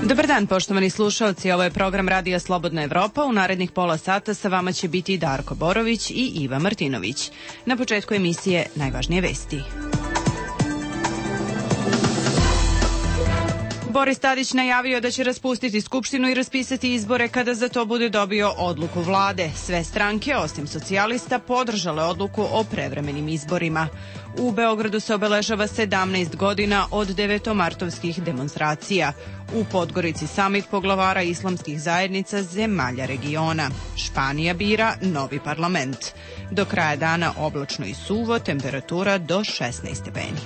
Dobar dan, poštovani slušaoci, ovo je program Radija Slobodna Evropa. U narednih pola sata sa vama će biti Darko Borović i Iva Martinović. Na početku emisije najvažnije vesti. Boris Tadić najavio da će raspustiti Skupštinu i raspisati izbore kada za to bude dobio odluku vlade. Sve stranke, osim socijalista, podržale odluku o prevremenim izborima. U Beogradu se obeležava 17 godina od devetomartovskih demonstracija. U Podgorici samit poglavara islamskih zajednica zemalja regiona. Španija bira novi parlament. Do kraja dana oblačno i suvo, temperatura do 16 stepeni.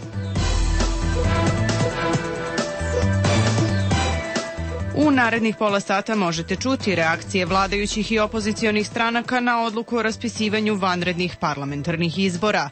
U narednih pola sata možete čuti reakcije vladajućih i opozicionih stranaka na odluku o raspisivanju vanrednih parlamentarnih izbora.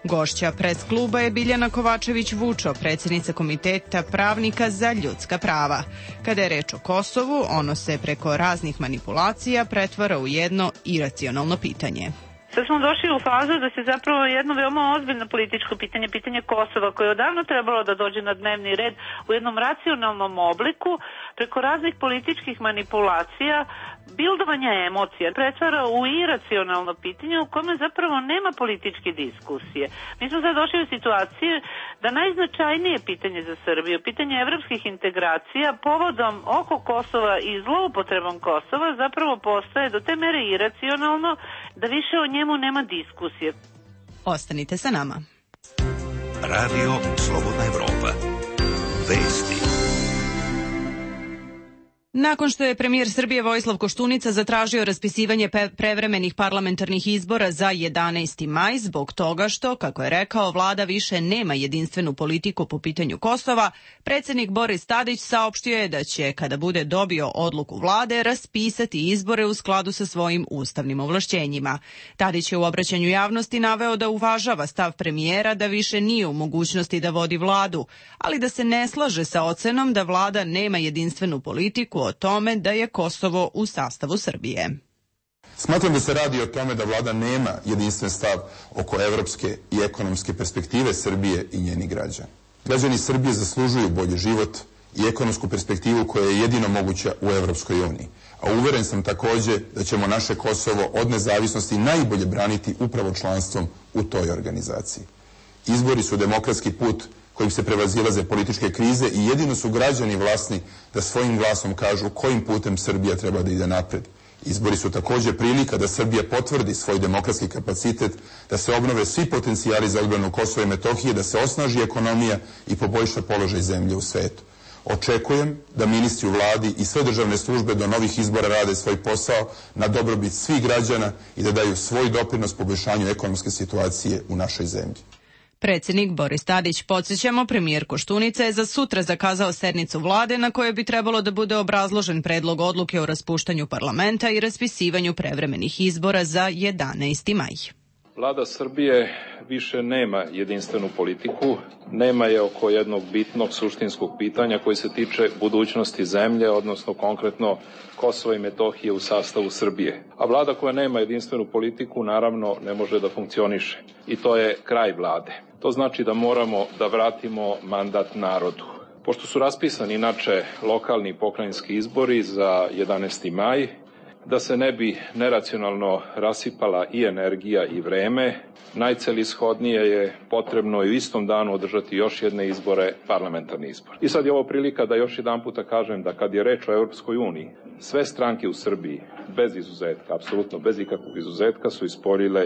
Gošća pres kluba je Biljana Kovačević-Vučo, predsjednica Komiteta pravnika za ljudska prava. Kada je reč o Kosovu, ono se preko raznih manipulacija pretvara u jedno iracionalno pitanje. Sad smo došli u fazu da se zapravo jedno veoma ozbiljno političko pitanje, pitanje Kosova, koje je odavno trebalo da dođe na dnevni red u jednom racionalnom obliku, preko raznih političkih manipulacija, bildovanja emocija, pretvara u iracionalno pitanje u kome zapravo nema političke diskusije. Mi smo sad došli u situaciju da najznačajnije pitanje za Srbiju, pitanje evropskih integracija, povodom oko Kosova i zloupotrebom Kosova zapravo postaje do te mere iracionalno da više o njemu nema diskusije. Ostanite sa nama. Radio Slobodna Evropa. Vesti. Nakon što je premijer Srbije Vojislav Koštunica zatražio raspisivanje prevremenih parlamentarnih izbora za 11. maj zbog toga što, kako je rekao, vlada više nema jedinstvenu politiku po pitanju Kosova, predsjednik Boris Tadić saopštio je da će, kada bude dobio odluku vlade, raspisati izbore u skladu sa svojim ustavnim ovlašćenjima. Tadić je u obraćanju javnosti naveo da uvažava stav premijera da više nije u mogućnosti da vodi vladu, ali da se ne slaže sa ocenom da vlada nema jedinstvenu politiku o tome da je Kosovo u sastavu Srbije. Smatram da se radi o tome da vlada nema jedinstven stav oko evropske i ekonomske perspektive Srbije i njenih građana. Građani Srbije zaslužuju bolji život i ekonomsku perspektivu koja je jedino moguća u Evropskoj uniji. A uveren sam takođe da ćemo naše Kosovo od nezavisnosti najbolje braniti upravo članstvom u toj organizaciji. Izbori su demokratski put kojim se prevazilaze političke krize i jedino su građani vlasni da svojim glasom kažu kojim putem Srbija treba da ide napred. Izbori su također prilika da Srbija potvrdi svoj demokratski kapacitet, da se obnove svi potencijali za odbranu Kosova i Metohije, da se osnaži ekonomija i poboljša položaj zemlje u svetu. Očekujem da ministri u vladi i sve državne službe do novih izbora rade svoj posao na dobrobit svih građana i da daju svoj doprinos poboljšanju ekonomske situacije u našoj zemlji. Predsjednik Boris Tadić, podsjećamo, premijer Koštunica je za sutra zakazao sednicu vlade na kojoj bi trebalo da bude obrazložen predlog odluke o raspuštanju parlamenta i raspisivanju prevremenih izbora za 11. maj. Vlada Srbije više nema jedinstvenu politiku, nema je oko jednog bitnog suštinskog pitanja koji se tiče budućnosti zemlje, odnosno konkretno Kosova i Metohije u sastavu Srbije. A vlada koja nema jedinstvenu politiku naravno ne može da funkcioniše. I to je kraj vlade. To znači da moramo da vratimo mandat narodu. Pošto su raspisani inače lokalni i pokrajinski izbori za 11. maj, da se ne bi neracionalno rasipala i energija i vreme, najcelishodnije je potrebno u istom danu održati još jedne izbore, parlamentarni izbor. I sad je ovo prilika da još jedan puta kažem da kad je reč o Europskoj uniji, sve stranke u Srbiji, bez izuzetka, apsolutno bez ikakvog izuzetka, su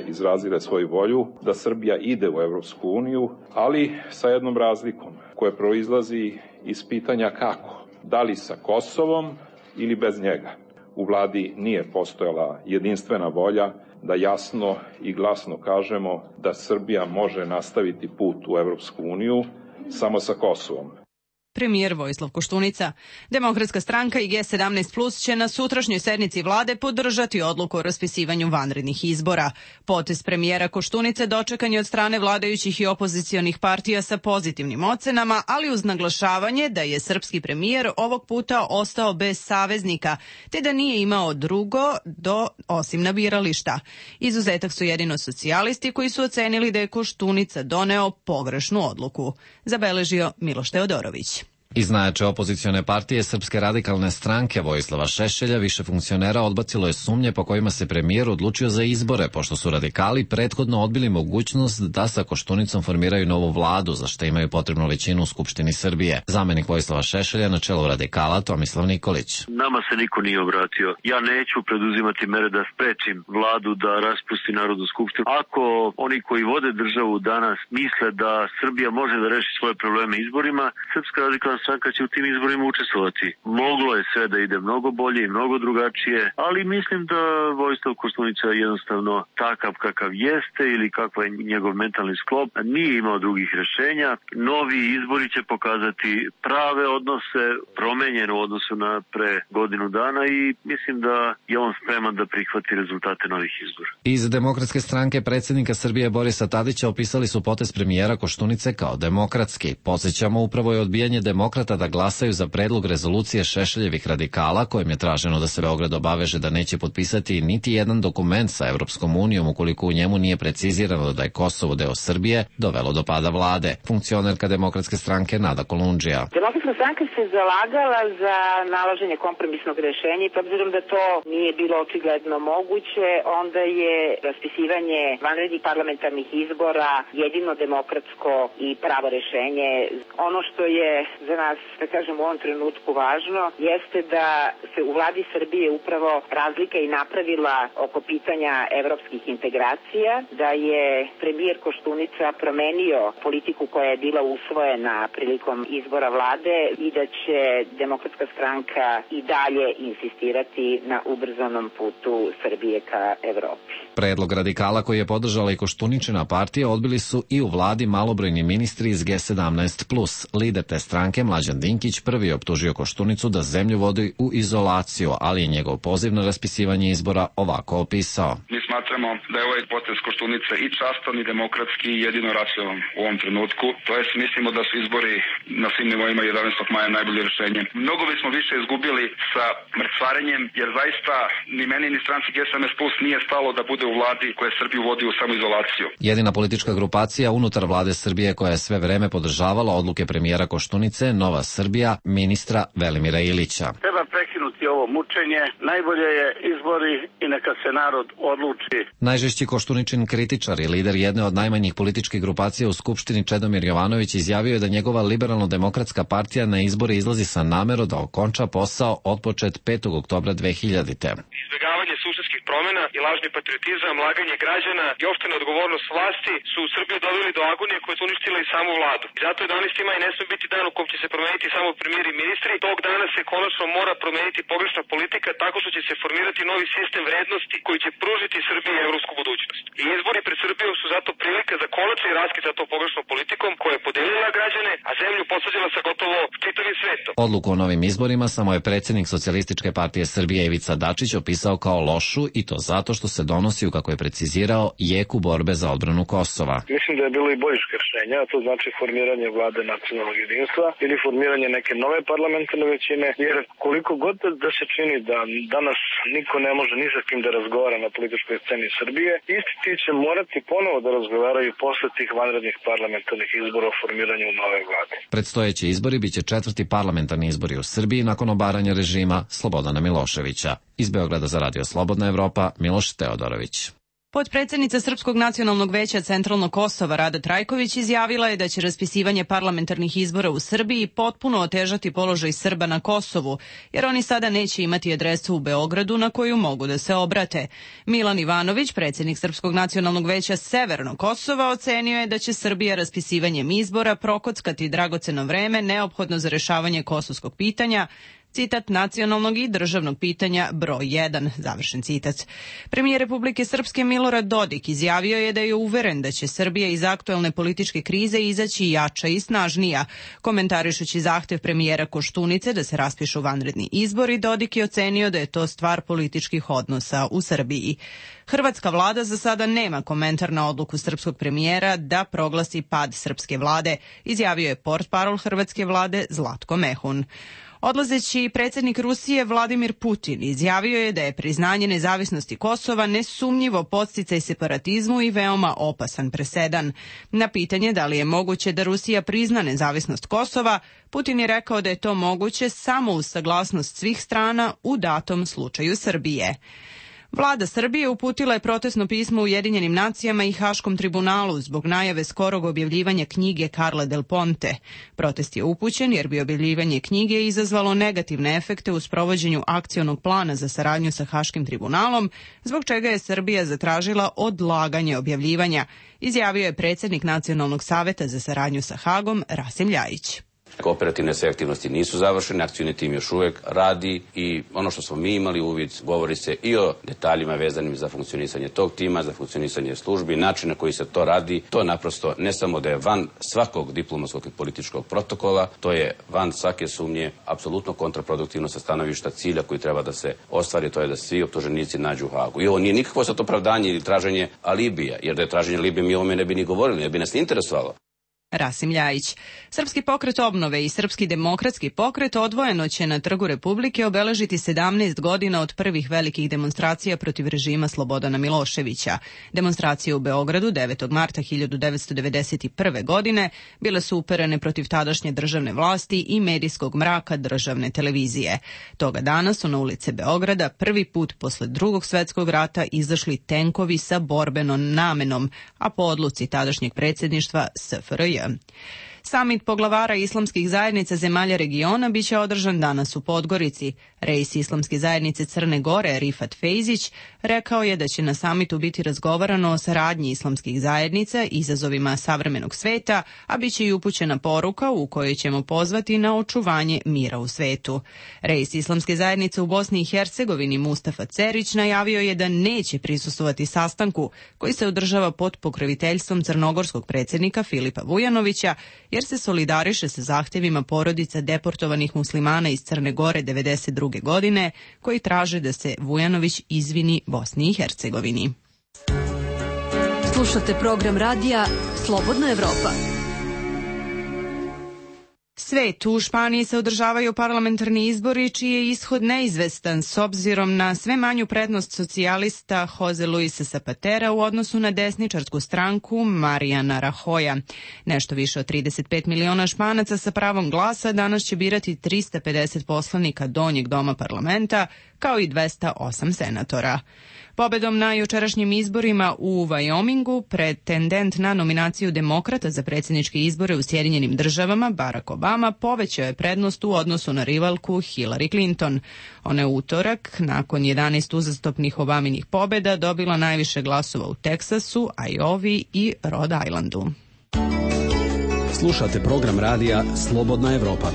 izrazile svoju volju da Srbija ide u Europsku uniju, ali sa jednom razlikom koja proizlazi iz pitanja kako, da li sa Kosovom ili bez njega. U vladi nije postojala jedinstvena volja da jasno i glasno kažemo da Srbija može nastaviti put u Evropsku uniju samo sa Kosovom. Premijer Vojislav Koštunica. Demokratska stranka i G17 Plus će na sutrašnjoj sednici vlade podržati odluku o raspisivanju vanrednih izbora. Potez premijera Koštunice dočekan je od strane vladajućih i opozicionih partija sa pozitivnim ocenama, ali uz naglašavanje da je srpski premijer ovog puta ostao bez saveznika, te da nije imao drugo osim na birališta. Izuzetak su jedino socijalisti koji su ocenili da je Koštunica doneo pogrešnu odluku, zabeležio Miloš Teodorović. Iz najjače opozicione partije Srpske radikalne stranke Vojislava Šešelja više funkcionera odbacilo je sumnje po kojima se premijer odlučio za izbore, pošto su radikali prethodno odbili mogućnost da sa Koštunicom formiraju novu vladu, za što imaju potrebnu većinu u Skupštini Srbije. Zamenik Vojislava Šešelja na čelu radikala Tomislav Nikolić. Nama se niko nije obratio. Ja neću preduzimati mere da sprečim vladu da raspusti Narodnu skupštinu. Ako oni koji vode državu danas misle da Srbija može da reši svoje probleme izborima, Srpska radikalna stranka će u tim izborima učestvovati. Moglo je sve da ide mnogo bolje i mnogo drugačije, ali mislim da Vojislav Koštunica jednostavno takav kakav jeste ili kakav je njegov mentalni sklop, nije imao drugih rešenja. Novi izbori će pokazati prave odnose, promenjene u odnosu na pre godinu dana i mislim da je on spreman da prihvati rezultate novih izbora. Iz Demokratske stranke predsjednika Srbije Borisa Tadića opisali su potez premijera Koštunice kao demokratski. Podsjećamo, upravo je odbijanje demokrata da glasaju za predlog rezolucije Šešeljevih radikala, kojim je traženo da se Beograd obaveže da neće potpisati niti jedan dokument sa Evropskom unijom ukoliko u njemu nije precizirano da je Kosovo deo Srbije, dovelo do pada vlade. Funkcionerka Demokratske stranke Nada Kolundžija. Demokratska stranka se zalagala za nalaženje kompromisnog rešenja i obzirom da to nije bilo očigledno moguće, onda je raspisivanje vanrednih parlamentarnih izbora jedino demokratsko i pravo rešenje. Ono što je za nas, da kažem, u ovom trenutku važno, jeste da se u vladi Srbije upravo razlika i napravila oko pitanja evropskih integracija, da je premijer Koštunica promenio politiku koja je bila usvojena prilikom izbora vlade i da će Demokratska stranka i dalje insistirati na ubrzanom putu Srbije ka Evropi. Predlog radikala koji je podržala i Koštuničina partija odbili su i u vladi malobrojni ministri iz G17+. Lider te stranke Mlađan Dinkić prvi optužio Koštunicu da zemlju vodi u izolaciju, ali je njegov poziv na raspisivanje izbora ovako opisao. Mi smatramo da je ovaj potez Koštunice i častan i demokratski i jedino racionalan u ovom trenutku. To jest, mislimo da su izbori na svim nivoima 11. maja najbolje rešenje. Mnogo bismo više izgubili sa mrcvarenjem, jer zaista ni meni ni stranci G17+ nije stalo da bude u vladi koja Srbiju vodi u samoizolaciju. Jedina politička grupacija unutar vlade Srbije koja je sve vreme podržavala odluke premijera Koštunice, Nova Srbija, ministra Velimira Ilića. Treba prekinuti ovo mučenje, najbolje je izbori i neka se narod odluči. Najžešći Koštuničin kritičar i lider jedne od najmanjih političkih grupacija u Skupštini Čedomir Jovanović izjavio je da njegova liberalno-demokratska partija na izbore izlazi sa namerom da okonča posao otpočet 5. oktobra 2000. Izbjegavanje suštinskih promjena i lažni patriotizam, laganje građana i opšta neodgovornost vlasti su u Srbiju doveli do agonije koje su uništile i samu vladu. I zato je 11. maj ne sme biti dan u kom će se promeniti samo premijer i ministri. Tog dana se konačno mora promeniti pogrešna politika tako što će se formirati novi sistem vrednosti koji će pružiti Srbiji evropsku budućnost. I izbori pred Srbijom su zato prilika za konačni raskid sa tom pogrešnom politikom koja je podelila građane, a zemlju posađila sa gotovo čitavim svetom. Odluku o novim izborima samo je predsjednik Socijalističke partije Srbije Ivica Dačić opisao kao lošu i to zato što se donosi, kako je precizirao, jeku borbe za odbranu Kosova. Mislim da je bilo i boljih rešenja, to znači formiranje vlade nacionalnog jedinstva ili formiranje neke nove parlamentarne većine, jer koliko god da se čini da danas niko ne može ni sa kim da razgovara na političkoj sceni Srbije, isti ti će morati ponovo da razgovaraju posle tih vanrednih parlamentarnih izbora o formiranju nove vlade. Predstojeći izbori biće 4. parlamentarni izbori u Srbiji nakon obaranja režima Slobodana Miloševića. Iz Beograda za Radio Slobodna Evropa, Miloš Teodorović. Potpredsjednica Srpskog nacionalnog veća Centralnog Kosova Rada Trajković izjavila je da će raspisivanje parlamentarnih izbora u Srbiji potpuno otežati položaj Srba na Kosovu, jer oni sada neće imati adresu u Beogradu na koju mogu da se obrate. Milan Ivanović, predsjednik Srpskog nacionalnog veća Severnog Kosova, ocenio je da će Srbija raspisivanjem izbora prokockati dragoceno vreme neophodno za rešavanje kosovskog pitanja, citat, nacionalnog i državnog pitanja broj 1, završen citat. Premijer Republike Srpske Milorad Dodik izjavio je da je uveren da će Srbija iz aktuelne političke krize izaći jača i snažnija. Komentarišući zahtev premijera Koštunice da se raspišu vanredni izbori, Dodik je ocenio da je to stvar političkih odnosa u Srbiji. Hrvatska vlada za sada nema komentar na odluku srpskog premijera da proglasi pad srpske vlade, izjavio je portparol hrvatske vlade Zlatko Mehun. Odlazeći predsjednik Rusije Vladimir Putin izjavio je da je priznanje nezavisnosti Kosova nesumnjivo podsticaj separatizmu i veoma opasan presedan. Na pitanje da li je moguće da Rusija prizna nezavisnost Kosova, Putin je rekao da je to moguće samo uz saglasnost svih strana u datom slučaju Srbije. Vlada Srbije uputila je protestno pismo Ujedinjenim nacijama i Haškom tribunalu zbog najave skorog objavljivanja knjige Carla Del Ponte. Protest je upućen jer bi objavljivanje knjige izazvalo negativne efekte u sprovođenju akcionog plana za saradnju sa Haškim tribunalom, zbog čega je Srbija zatražila odlaganje objavljivanja, izjavio je predsjednik Nacionalnog saveta za saradnju sa Hagom Rasim Ljajić. Operativne sve aktivnosti nisu završene, akcioni tim još uvijek radi i ono što smo mi imali uvid, govori se i o detaljima vezanim za funkcionisanje tog tima, za funkcionisanje službi, način na koji se to radi. To naprosto ne samo da je van svakog diplomatskog i političkog protokola, to je van svake sumnje, apsolutno kontraproduktivno sa stanovišta cilja koji treba da se ostvari, to je da svi optuženici nađu u Hagu. I ovo nije nikakvo sad opravdanje ili traženje alibija, jer da je traženje alibija mi o ovome ne bi ni govorili, ne bi nas interesovalo. Rasim Ljajić. Srpski pokret obnove i Srpski demokratski pokret odvojeno će na Trgu Republike obeležiti 17 godina od prvih velikih demonstracija protiv režima Slobodana Miloševića. Demonstracije u Beogradu 9. marta 1991. godine bile su uperene protiv tadašnje državne vlasti i medijskog mraka državne televizije. Toga dana su na ulice Beograda prvi put posle Drugog svjetskog rata izašli tenkovi sa borbenom namenom, a po odluci tadašnjeg predsjedništva SFRJ. Samit poglavara islamskih zajednica zemalja regiona biće održan danas u Podgorici. Reis islamske zajednice Crne Gore, Rifat Fejzić, rekao je da će na samitu biti razgovarano o saradnji islamskih zajednica, izazovima savremenog sveta, a biće i upućena poruka u kojoj ćemo pozvati na očuvanje mira u svetu. Reis islamske zajednice u Bosni i Hercegovini Mustafa Cerić najavio je da neće prisustvovati sastanku koji se održava pod pokroviteljstvom crnogorskog predsjednika Filipa Vujanovića, jer se solidariše sa zahtjevima porodica deportovanih muslimana iz Crne Gore 1992. godine, koji traže da se Vujanović izvini Bosni i Hercegovini. Slušate program radija Slobodna Evropa. Svet, u Španiji se održavaju parlamentarni izbori čiji je ishod neizvestan s obzirom na sve manju prednost socijalista Jose Luisa Zapatera u odnosu na desničarsku stranku Mariana Rajoya. Nešto više od 35 miliona Španaca sa pravom glasa danas će birati 350 poslanika donjeg doma parlamenta, kao i 208 senatora. Pobedom na jučerašnjim izborima u Wyomingu, pretendent na nominaciju demokrata za predsjedničke izbore u Sjedinjenim državama, Barack Obama, povećao je prednost u odnosu na rivalku Hillary Clinton. Ona je utorak, nakon 11 uzastopnih Obaminih pobjeda, dobila najviše glasova u Teksasu, Iowi i Rhode Islandu. Slušate program radija Slobodna Evropa.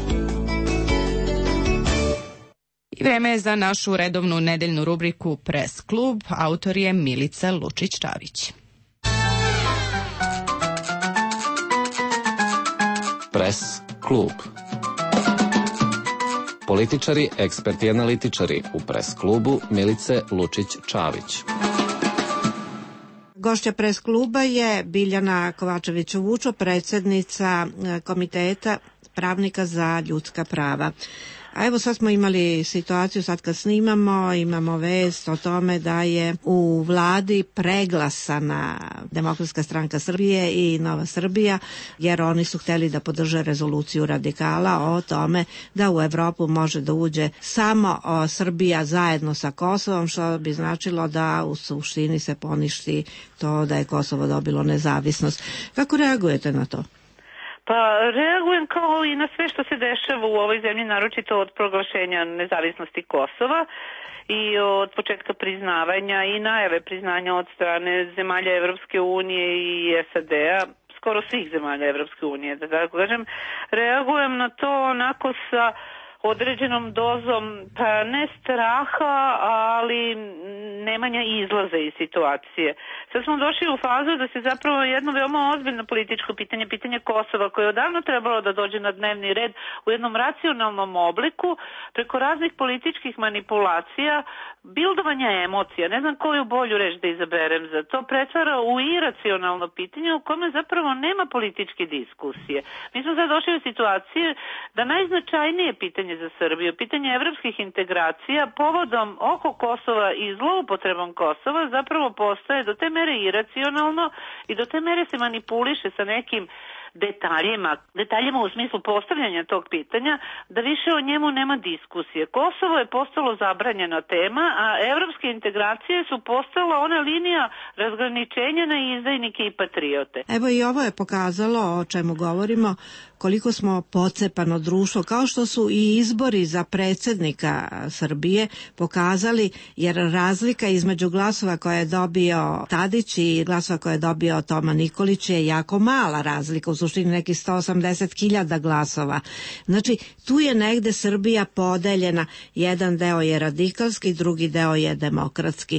I vreme je za našu redovnu nedeljnu rubriku Press klub. Autor je Milica Lučić-Čavić. Press klub. Političari, eksperti i analitičari u Press klubu Milice Lučić-Čavić. Gošća Press kluba je Biljana Kovačević-Vučo, predsjednica Komiteta pravnika za ljudska prava. A evo sad smo imali situaciju, sad kad snimamo, imamo vest o tome da je u vladi preglasana Demokratska stranka Srbije i Nova Srbija, jer oni su htjeli da podrže rezoluciju radikala o tome da u Evropu može da uđe samo Srbija zajedno sa Kosovom, što bi značilo da u suštini se poništi to da je Kosovo dobilo nezavisnost. Kako reagujete na to? Pa reagujem kao i na sve što se dešava u ovoj zemlji, naročito od proglašenja nezavisnosti Kosova i od početka priznavanja i najave priznanja od strane zemalja Evropske unije i SAD-a, skoro svih zemalja Evropske unije, da tako kažem. Reagujem na to onako sa određenom dozom, pa ne straha, ali nemanja izlaza iz situacije. Sad smo došli u fazu da se zapravo jedno veoma ozbiljno političko pitanje, pitanje Kosova, koje je odavno trebalo da dođe na dnevni red u jednom racionalnom obliku, preko raznih političkih manipulacija, bildovanja emocija, ne znam koju bolju reč da izaberem za to, pretvara u iracionalno pitanje u kome zapravo nema političke diskusije. Mi smo sad došli u situaciju da najznačajnije pitanje za Srbiju, pitanje evropskih integracija povodom oko Kosova i zloupotrebom Kosova zapravo postaje do te mere iracionalno i do te mere se manipuliše sa nekim detaljima u smislu postavljanja tog pitanja, da više o njemu nema diskusije. Kosovo je postalo zabranjena tema, a evropske integracije su postala ona linija razgraničenja na izdajnike i patriote. Evo i ovo je pokazalo, o čemu govorimo, koliko smo pocepano društvo, kao što su i izbori za predsjednika Srbije pokazali, jer razlika između glasova koje je dobio Tadić i glasova koje je dobio Toma Nikolić je jako mala razlika, u suštini nekih 180.000 glasova. Znači, tu je negde Srbija podeljena, jedan deo je radikalski, drugi deo je demokratski.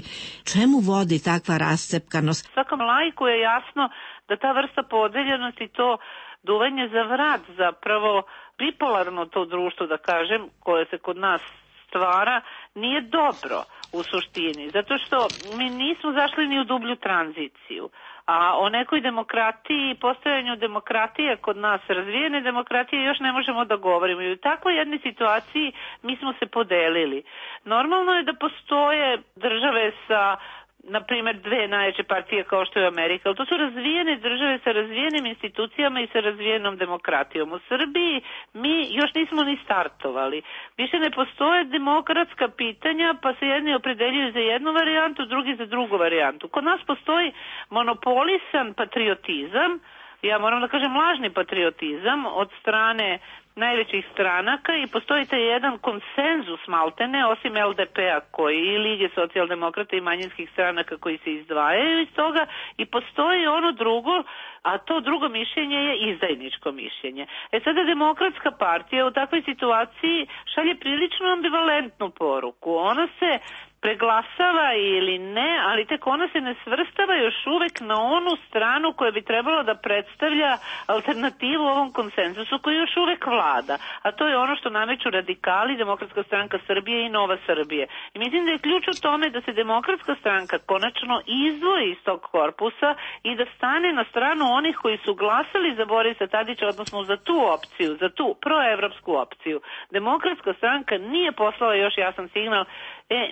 Čemu vodi takva rascepkanost? Svakom laiku je jasno da ta vrsta podeljenosti, to duvanje za vrat, zapravo bipolarno to društvo, da kažem, koje se kod nas stvara, nije dobro u suštini, zato što mi nismo zašli ni u dublju tranziciju. A o nekoj demokratiji, postojanju demokratije kod nas, razvijene demokratije, još ne možemo da govorimo. I u takvoj jednoj situaciji mi smo se podelili. Normalno je da postoje države sa, na primjer, dve najjače partije kao što je Amerika, ali to su razvijene države sa razvijenim institucijama i sa razvijenom demokratijom. U Srbiji mi još nismo ni startovali. Više ne postoje demokratska pitanja, pa se jedni opredeljuju za jednu varijantu, drugi za drugu varijantu. Kod nas postoji monopolisan patriotizam, ja moram da kažem lažni patriotizam od strane najvećih stranaka i postoji taj jedan konsenzus maltene, osim LDP-a koji i Lige socijaldemokrata i manjinskih stranaka koji se izdvajaju iz toga, i postoji ono drugo, a to drugo mišljenje je izdajničko mišljenje. Sada Demokratska partija u takvoj situaciji šalje prilično ambivalentnu poruku. Ona se preglasava ili ne, ali tek ona se ne svrstava još uvek na onu stranu koja bi trebalo da predstavlja alternativu ovom konsenzusu koji još uvek vlada. A to je ono što nameću radikali, Demokratska stranka Srbije i Nova Srbije. I mislim da je ključ u tome da se Demokratska stranka konačno izdvoji iz tog korpusa i da stane na stranu onih koji su glasali za Borisa Tadića, odnosno za tu opciju, za tu proevropsku opciju. Demokratska stranka nije poslala još jasan signal,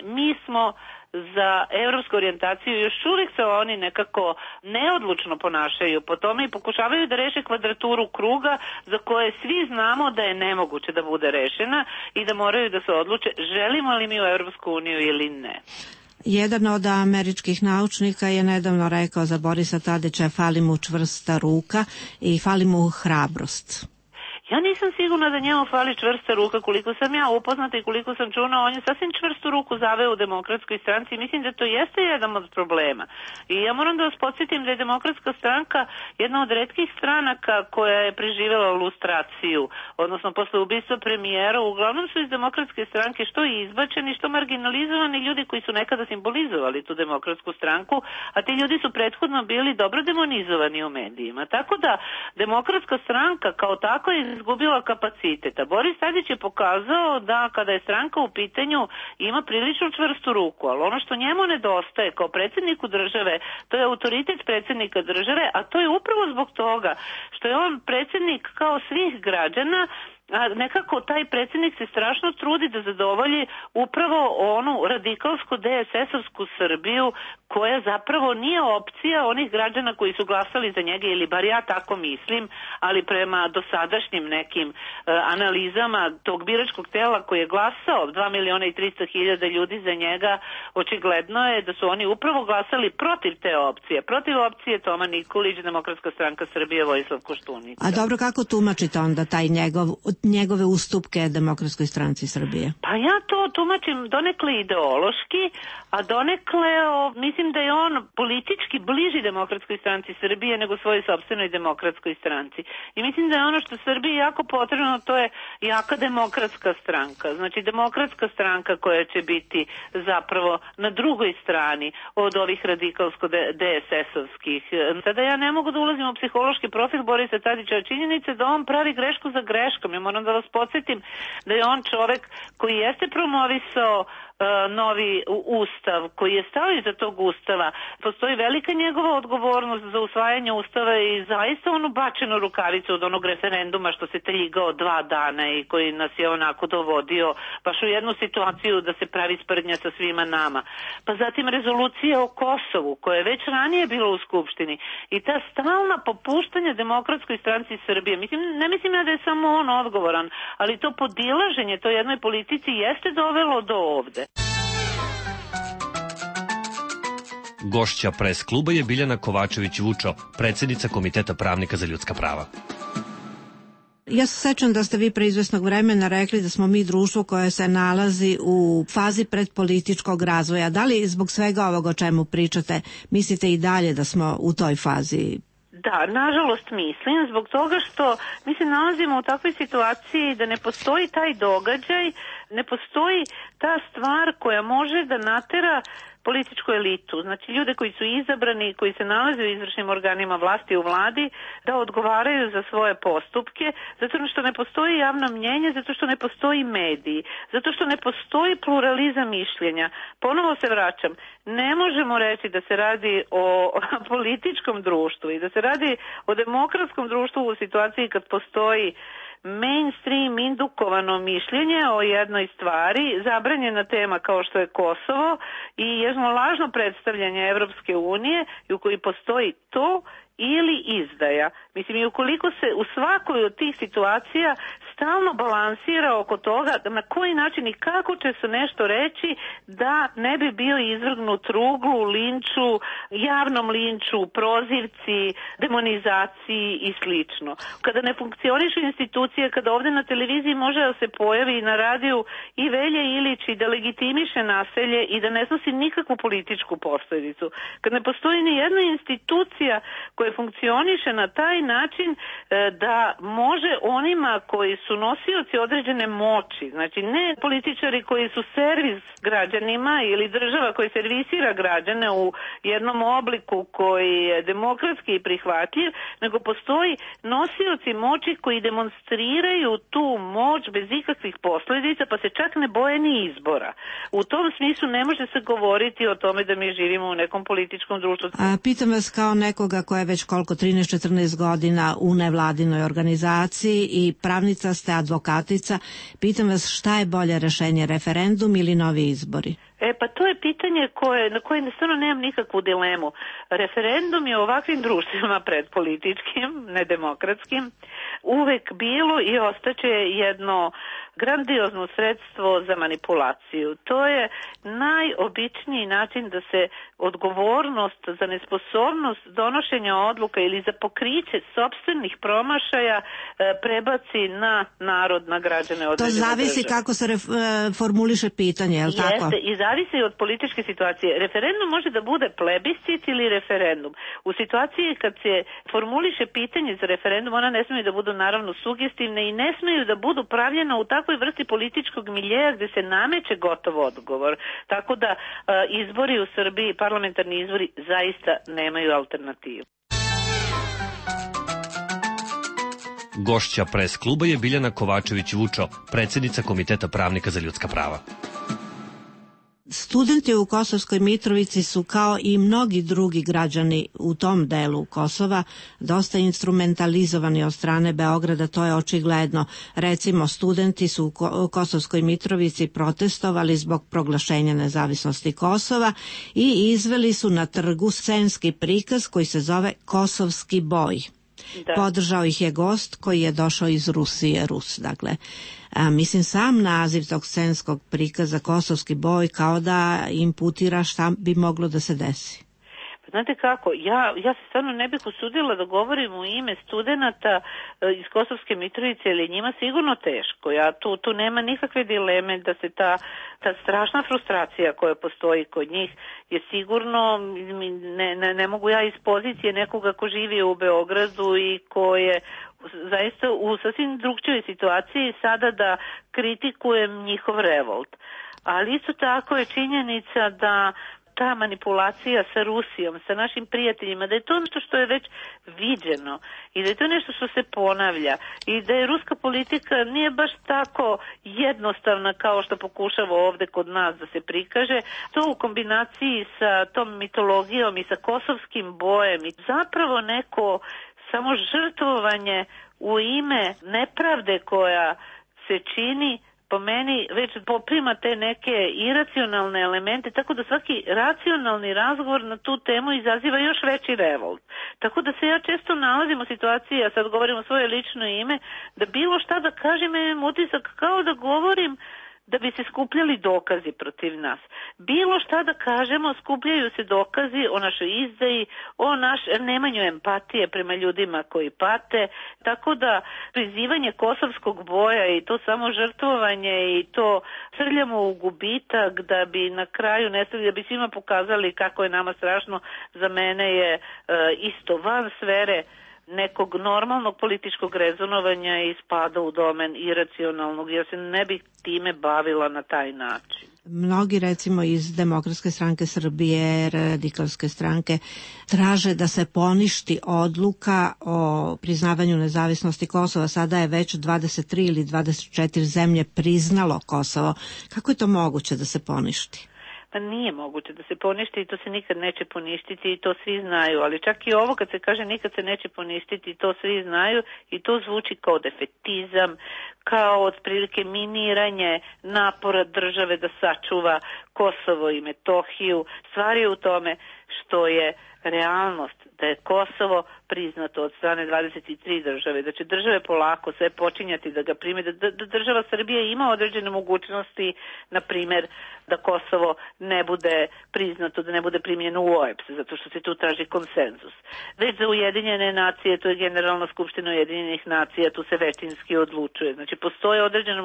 mi smo za evropsku orijentaciju, još uvijek se oni nekako neodlučno ponašaju po tome i pokušavaju da reše kvadraturu kruga za koje svi znamo da je nemoguće da bude rešena i da moraju da se odluče želimo li mi u Evropsku uniju ili ne. Jedan od američkih naučnika je nedavno rekao za Borisa Tadića fali mu čvrsta ruka i fali mu hrabrost. Ja nisam sigurna da njemu fali čvrsta ruka, koliko sam ja upoznata i koliko sam čula, on je sasvim čvrstu ruku zaveo u Demokratskoj stranci i mislim da to jeste jedan od problema. I ja moram da vas podsjetim da je Demokratska stranka jedna od retkih stranaka koja je preživjela lustraciju, odnosno posle ubistva premijera. Uglavnom su iz Demokratske stranke što izbačeni, što marginalizovani ljudi koji su nekada simbolizovali tu Demokratsku stranku, a ti ljudi su prethodno bili dobro demonizovani u medijima. Tako da Demokratska stranka kao tako je izgubila kapaciteta. Boris Tadić je pokazao da kada je stranka u pitanju ima prilično čvrstu ruku, ali ono što njemu nedostaje kao predsjedniku države, to je autoritet predsjednika države, a to je upravo zbog toga što je on predsjednik kao svih građana, a nekako taj predsjednik se strašno trudi da zadovolji upravo onu radikalsku DSS-ovsku Srbiju koja zapravo nije opcija onih građana koji su glasali za njega, ili bar ja tako mislim, ali prema dosadašnjim nekim analizama tog biračkog tela koji je glasao 2.300.000 ljudi za njega, očigledno je da su oni upravo glasali protiv te opcije, protiv opcije Toma Nikolić, Demokratska stranka Srbije, Vojislav Koštunica. A dobro, kako tumačite onda taj njegov njegove ustupke Demokratskoj stranci Srbije? Pa ja to tumačim donekle ideološki, a donekle mislim da je on politički bliži Demokratskoj stranci Srbije nego svojoj sopstvenoj Demokratskoj stranci. I mislim da je ono što Srbiji jako potrebno, to je jaka demokratska stranka. Znači demokratska stranka koja će biti zapravo na drugoj strani od ovih radikalsko-DSS-ovskih. Sada ja ne mogu da ulazim u psihološki profil Borisa Tadića, činjenice da on pravi grešku za greškom. Ja moram da vas podsjetim da je on čovek koji jeste promovisao novi ustav, koji je stao iza tog ustava. Postoji velika njegova odgovornost za usvajanje ustava i zaista onu bačenu rukavicu od onog referenduma što se teljigao 2 dana i koji nas je onako dovodio baš u jednu situaciju da se pravi sprdnja sa svima nama. Pa zatim rezolucija o Kosovu koja je već ranije bila u Skupštini i ta stalna popuštanja Demokratskoj stranci Srbije. Ne mislim ja da je samo on odgovoran, ali to podilaženje toj jednoj politici jeste dovelo do ovde. Gošća pres kluba je Biljana Kovačević-Vučo, predsjednica Komiteta pravnika za ljudska prava. Ja se sećam da ste vi pre izvesnog vremena rekli da smo mi društvo koje se nalazi u fazi predpolitičkog razvoja. Da li zbog svega ovoga o čemu pričate mislite i dalje da smo u toj fazi? Da, nažalost mislim, zbog toga što mi se nalazimo u takvoj situaciji da ne postoji taj događaj, ne postoji ta stvar koja može da natera političku elitu, znači ljude koji su izabrani, koji se nalaze u izvršnim organima vlasti u vladi, da odgovaraju za svoje postupke, zato što ne postoji javno mnjenje, zato što ne postoji mediji, zato što ne postoji pluralizam mišljenja. Ponovo se vraćam, ne možemo reći da se radi o političkom društvu i da se radi o demokratskom društvu u situaciji kad postoji mainstream indukovano mišljenje o jednoj stvari, zabranjena tema kao što je Kosovo i jedno lažno predstavljanje Evropske unije u kojoj postoji to ili izdaja. Mislim, i ukoliko se u svakoj od tih situacija stalno balansira oko toga na koji način i kako će se nešto reći da ne bi bio izvrgnut ruglu, linču, javnom linču, prozivci, demonizaciji i slično. Kada ne funkcionišu institucije, kada ovde na televiziji može da se pojavi na radiju i Velja Ilić i da legitimiše naselje i da ne snosi nikakvu političku posledicu. Kad ne postoji ni jedna institucija koja funkcioniše na taj način da može onima koji su nosioci određene moći, znači ne političari koji su servis građanima ili država koja servisira građane u jednom obliku koji je demokratski i prihvatljiv, nego postoji nosioci moći koji demonstriraju tu moć bez ikakvih posledica, pa se čak ne boje ni izbora. U tom smislu ne može se govoriti o tome da mi živimo u nekom političkom društvu. Pitam vas kao nekoga koja je već koliko 13-14 godina u nevladinoj organizaciji i pravnica ste, advokatica, pitam vas šta je bolje rešenje, referendum ili novi izbori? Pa to je pitanje na koje stvarno nemam nikakvu dilemu. Referendum je u ovakvim društvima predpolitičkim, nedemokratskim, uvek bilo i ostaće jedno grandiozno sredstvo za manipulaciju. To je najobičniji način da se odgovornost za nesposobnost donošenja odluka ili za pokriće sopstvenih promašaja prebaci na narod, na građane određene države. To zavisi kako se formuliše pitanje, je li tako? Jeste, i zavisi od političke situacije. Referendum može da bude plebiscit ili referendum. U situaciji kad se formuliše pitanje za referendum, ona ne smiju da budu naravno sugestivne i ne smiju da budu pravljena u takvoj vrsti političkog miljeja gde se nameće gotov odgovor. Tako da izbori u Srbiji, parlamentarni izbori, zaista nemaju alternativu. Gošća pres kluba je Biljana Kovačević-Vučo, predsjednica Komiteta pravnika za ljudska prava. Studenti u Kosovskoj Mitrovici su kao i mnogi drugi građani u tom delu Kosova dosta instrumentalizovani od strane Beograda, to je očigledno. Recimo, studenti su u Kosovskoj Mitrovici protestovali zbog proglašenja nezavisnosti Kosova i izveli su na trgu scenski prikaz koji se zove Kosovski boj. Da. Podržao ih je gost koji je došao iz Rusije, Rus, dakle. Mislim, sam naziv tog scenskog prikaza Kosovski boj kao da imputira šta bi moglo da se desi. Znate kako, ja se stvarno ne bih usudila da govorim u ime studenata iz Kosovske Mitrovice, ili njima sigurno teško. Tu nema nikakve dileme da se ta strašna frustracija koja postoji kod njih je sigurno, ne mogu ja iz pozicije nekoga ko živi u Beogradu i ko je zaista u sasvim drugčijoj situaciji sada da kritikujem njihov revolt. Ali isto tako je činjenica da ta manipulacija sa Rusijom, sa našim prijateljima, da je to nešto što je već viđeno i da je to nešto što se ponavlja i da je ruska politika nije baš tako jednostavna kao što pokušava ovde kod nas da se prikaže. To u kombinaciji sa tom mitologijom i sa kosovskim bojem i zapravo neko samo žrtvovanje u ime nepravde koja se čini, po meni već poprima te neke iracionalne elemente, tako da svaki racionalni razgovor na tu temu izaziva još veći revolt. Tako da se ja često nalazim u situaciji, ja sad govorim o svoje lično ime, da bilo šta da kažem imam utisak kao da govorim da bi se skupljali dokazi protiv nas. Bilo šta da kažemo, skupljaju se dokazi o našoj izdaji, o nemanju empatije prema ljudima koji pate, tako da prizivanje kosovskog boja i to samo žrtvovanje i to srljamo u gubitak da bi na kraju nestali, da bi svima pokazali kako je nama strašno, za mene je isto van sfere nekog normalnog političkog rezonovanja i spada u domen iracionalnog. Ja se ne bih time bavila na taj način. Mnogi, recimo iz Demokratske stranke Srbije, Radikalske stranke, traže da se poništi odluka o priznavanju nezavisnosti Kosova. Sada je već 23 ili 24 zemlje priznalo Kosovo. Kako je to moguće da se poništi? Pa nije moguće da se poništi i to se nikad neće poništiti i to svi znaju, ali čak i ovo kad se kaže nikad se neće poništiti, to svi znaju i to zvuči kao defetizam, kao otprilike miniranje napora države da sačuva Kosovo i Metohiju. Stvar je u tome što je realnost da je Kosovo priznato od strane 23 države, da će države polako sve počinjati da ga prime, da država Srbija ima određene mogućnosti, na primjer da Kosovo ne bude priznato, da ne bude primljeno u OEBS, zato što se tu traži konsenzus. Već za Ujedinjene nacije, to je Generalna skupština Ujedinjenih nacija, tu se većinski odlučuje. Znači postoje određene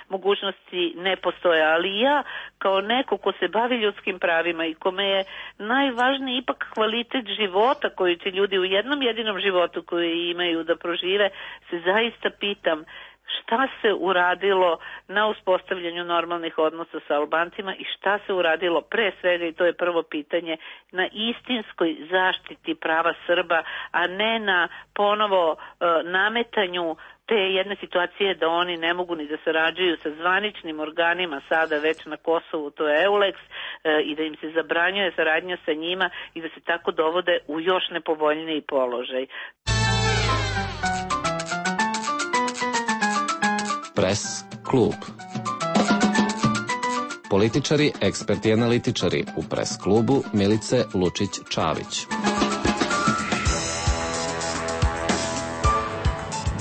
mogućnosti ne postoje, ali ja kao neko ko se bavi ljudskim pravima i kome je najvažniji ipak kvalitet života koji će ljudi u jednom jedinom životu koji imaju da prožive, se zaista pitam šta se uradilo na uspostavljanju normalnih odnosa sa Albancima i šta se uradilo pre svega, i to je prvo pitanje, na istinskoj zaštiti prava Srba, a ne na ponovo nametanju te jedne situacije da oni ne mogu ni da sarađuju sa zvaničnim organima sada već na Kosovu, to je EULEX, i da im se zabranjuje saradnja sa njima i da se tako dovode u još nepovoljniji položaj. Press klub. Političari, eksperti i analitičari u Press klubu Milice Lučić-Čavić.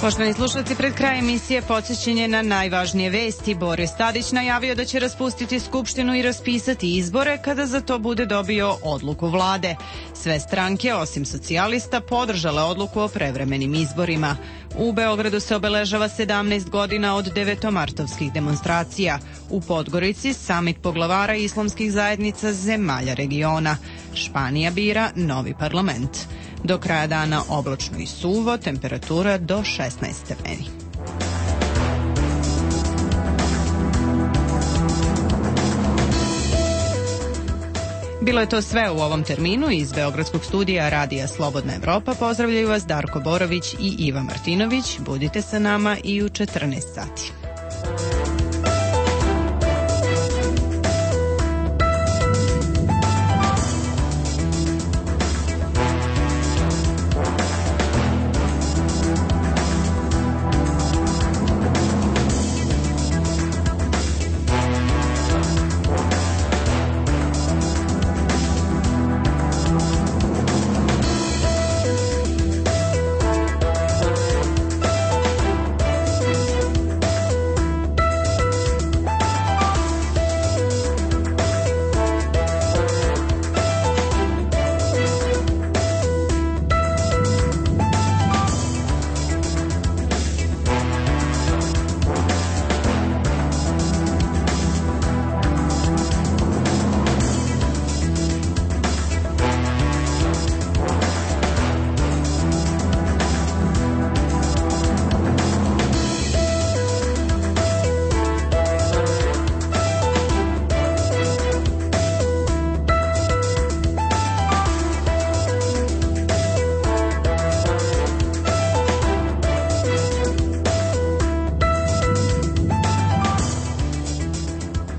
Poštovani slušalci, pred kraj emisije podsjećanje na najvažnije vesti. Boris Tadić najavio da će raspustiti Skupštinu i raspisati izbore kada za to bude dobio odluku vlade. Sve stranke, osim socijalista, podržale odluku o prevremenim izborima. U Beogradu se obeležava 17 godina od devetomartovskih demonstracija. U Podgorici samit poglavara islamskih zajednica zemalja regiona. Španija bira novi parlament. Do kraja dana oblačno i suvo, temperatura do 16 stepeni. Bilo je to sve u ovom terminu. Iz Beogradskog studija Radija Slobodna Evropa pozdravljaju vas Darko Borović i Iva Martinović. Budite sa nama i u 14 sati.